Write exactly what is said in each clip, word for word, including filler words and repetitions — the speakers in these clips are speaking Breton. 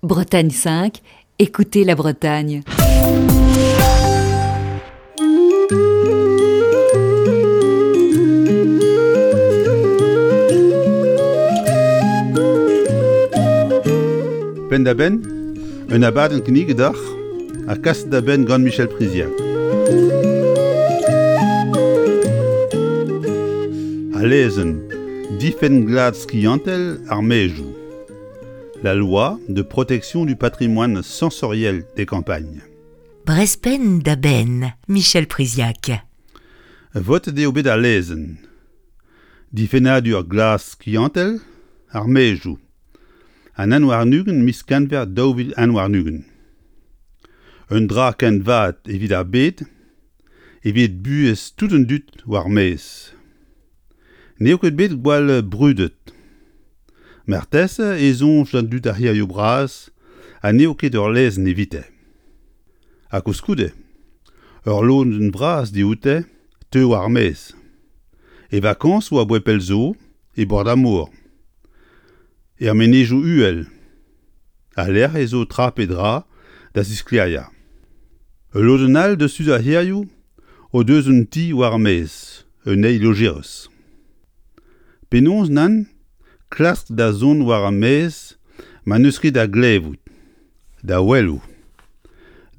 Bretagne cinq, écoutez la Bretagne. Penn-da-benn, un abadenn kinniget deoc'h ha kaset da benn gant Michel Priziac. Al lezenn difenn glad skiantel ar maezioù. La loi de protection du patrimoine sensoriel des campagnes. Brezh da benn, Michel Priziac. Votet eo bet al lezenn. Difennadur glad skiantel ar maezioù. An un warn-ugent miz Genver daou vil un warn-ugent. Un dra ken vat evit ar bed, evit buhez tout an dud war maez. N'eo ket bet gwall brudet. Marteze e soñj d'an dud ar c'hêrioù bras ha n'eo ket ur lezenn evite. Ha koulskoude, ur lodenn vras dioute teu war maez. E vakañsoù aboae pell zo e bord ar mor. Er menezioù uhel. Ha lec'h ez zo tra pe dra da zisklêriañ. Ul lodenn all deus tud ar c'hêrioù o deus un ti war ar maez, un eil lojerez. Penaos nann klask da zont war ar maez ma n'eus ket da glevout, da welout,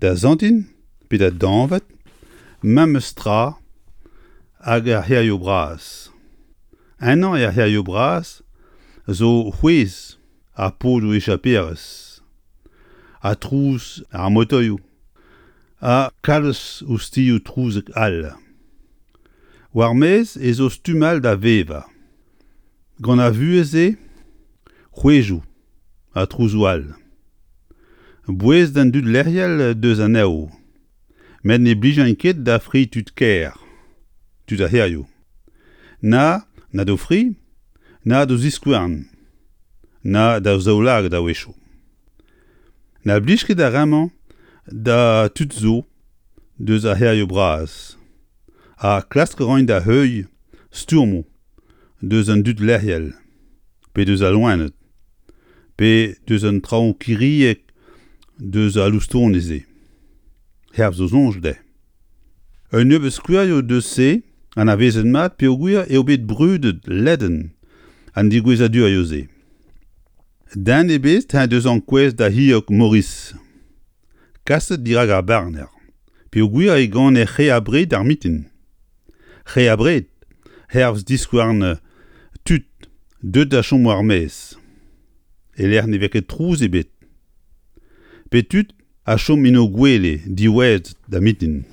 da santin pe da dañvat, memes tra hag ar c'hêrioù bras. Ennañ er c'hêrioù bras zo c'hwezh ar podoù echaperezh, ha trouz ar motoioù, ha kalz ouzhtilhoù trouzek all. War maez ez zo stumm all da vevañ. Gant ar vuhez-se, c'hwezhioù ha trouzoù all. Bouez d'an dud lec'hel deus anezho, met ne blijint ket da fri tud kêr, tud ar c'hêrioù. Na, na d'o fri, na d'o ziskouarn, na da zaoulagad a-wechoù. Na blij ket ar re-mañ da tud zo deus ar c'hêrioù bras, ha klask a raint da heuilh stourmoù deus an dud lec'hel, pe deus al loened, pe deus an traoù kiriek deus al loustoni-se. Hervez zo soñj dezhe. Un nebeud skouerioù deus se anavezet mat peogwir eo bet brudet ledan an degouezhadurioù-se. Den ebet en deus ankouaet da c'hilhog Maurice. Kaset dirak ar barner, peogwir e gane re abred ar mintin. Re abred, hervez diskouarn tud deuet da chom war maez. E-lec'h ne vez ket trouz ebet. Pe tud a chom en o gwele diwezhat da mintin.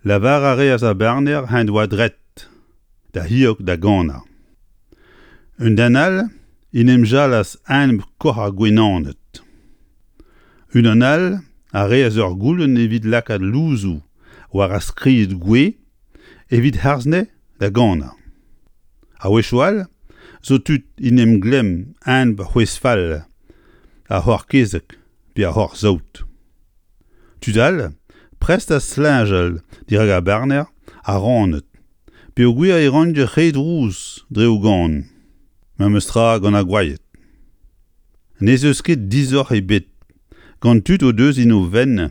Lavar a reas ar barner en doa dret da c'hilhog da ganañ. Un den all en em jalas enep koc'h ar gwenaned. Unan all a reas ur goulenn evit lakaat louzoù war ar skrid gouez evit harz anezhe da ganañ. A-wechoù all zo tud en em glemm enep c'hwezh fall ar c'hoc'h-kezeg pe ar c'hoc'h-saout. Tud all prest da slinjal dirak ar barner ha raned, peogwir e raint re drouz dre o gan, memes tra gant ar gwayed. N'ez eus ket disoc'h ebet gant tud o deus en o fenn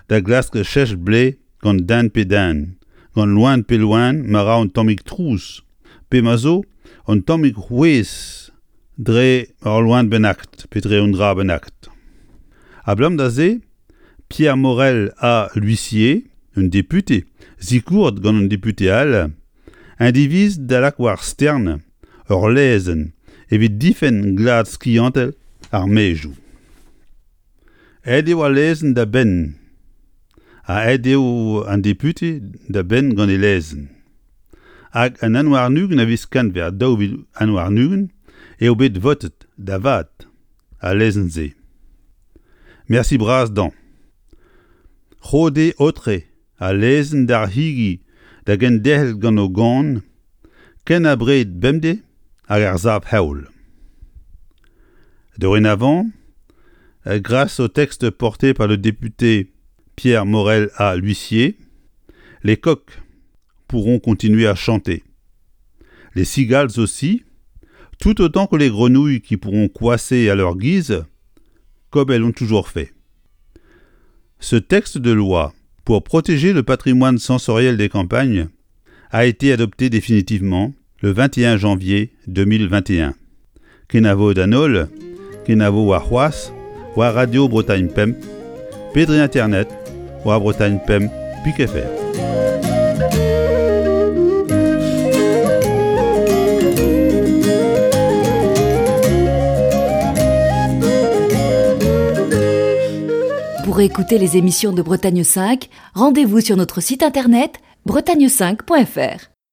da glask chech blez gant den pe den, gant loen pe loen ma ra un tammig trouz, pe ma zo un tammig c'hwezh dre ur loen bennaket pe dre un dra bennaket. Abalamour da se, Pierre Morel ha L'Huissier, un depute, sikouret gant un depute all, un diviz da lak war stern ur lezenn evit difenn glad skiantel ar maezioù. Aet eo al lezenn da benn, ha aet eo an depute da benn gant e lezenn. Hag an un warn-ugent a viz Genver daou vil un warn-ugent eo bet votet da vat al lezenn-se. Mersi bras dañ. Roet eo aotre al lezenn d'ar c'higi da genderc'hel gant o gan ken abred bemdez hag ar sav-heol. Dorénavant, grâce au texte porté par le député Pierre Morel à L'Huissier, les coqs pourront continuer à chanter. Les cigales aussi, tout autant que les grenouilles qui pourront coasser à leur guise comme elles l'ont toujours fait. Ce texte de loi pour protéger le patrimoine sensoriel des campagnes a été adopté définitivement le vingt et un janvier deux mille vingt et un. Kenavo d'an holl, kenavo warc'hoazh, war Radio Bretagne Pemp, pe dre internet, war Bretagne Pemp, pik F R. Pour écouter les émissions de Bretagne cinq, rendez-vous sur notre site internet bretagne cinq point F R.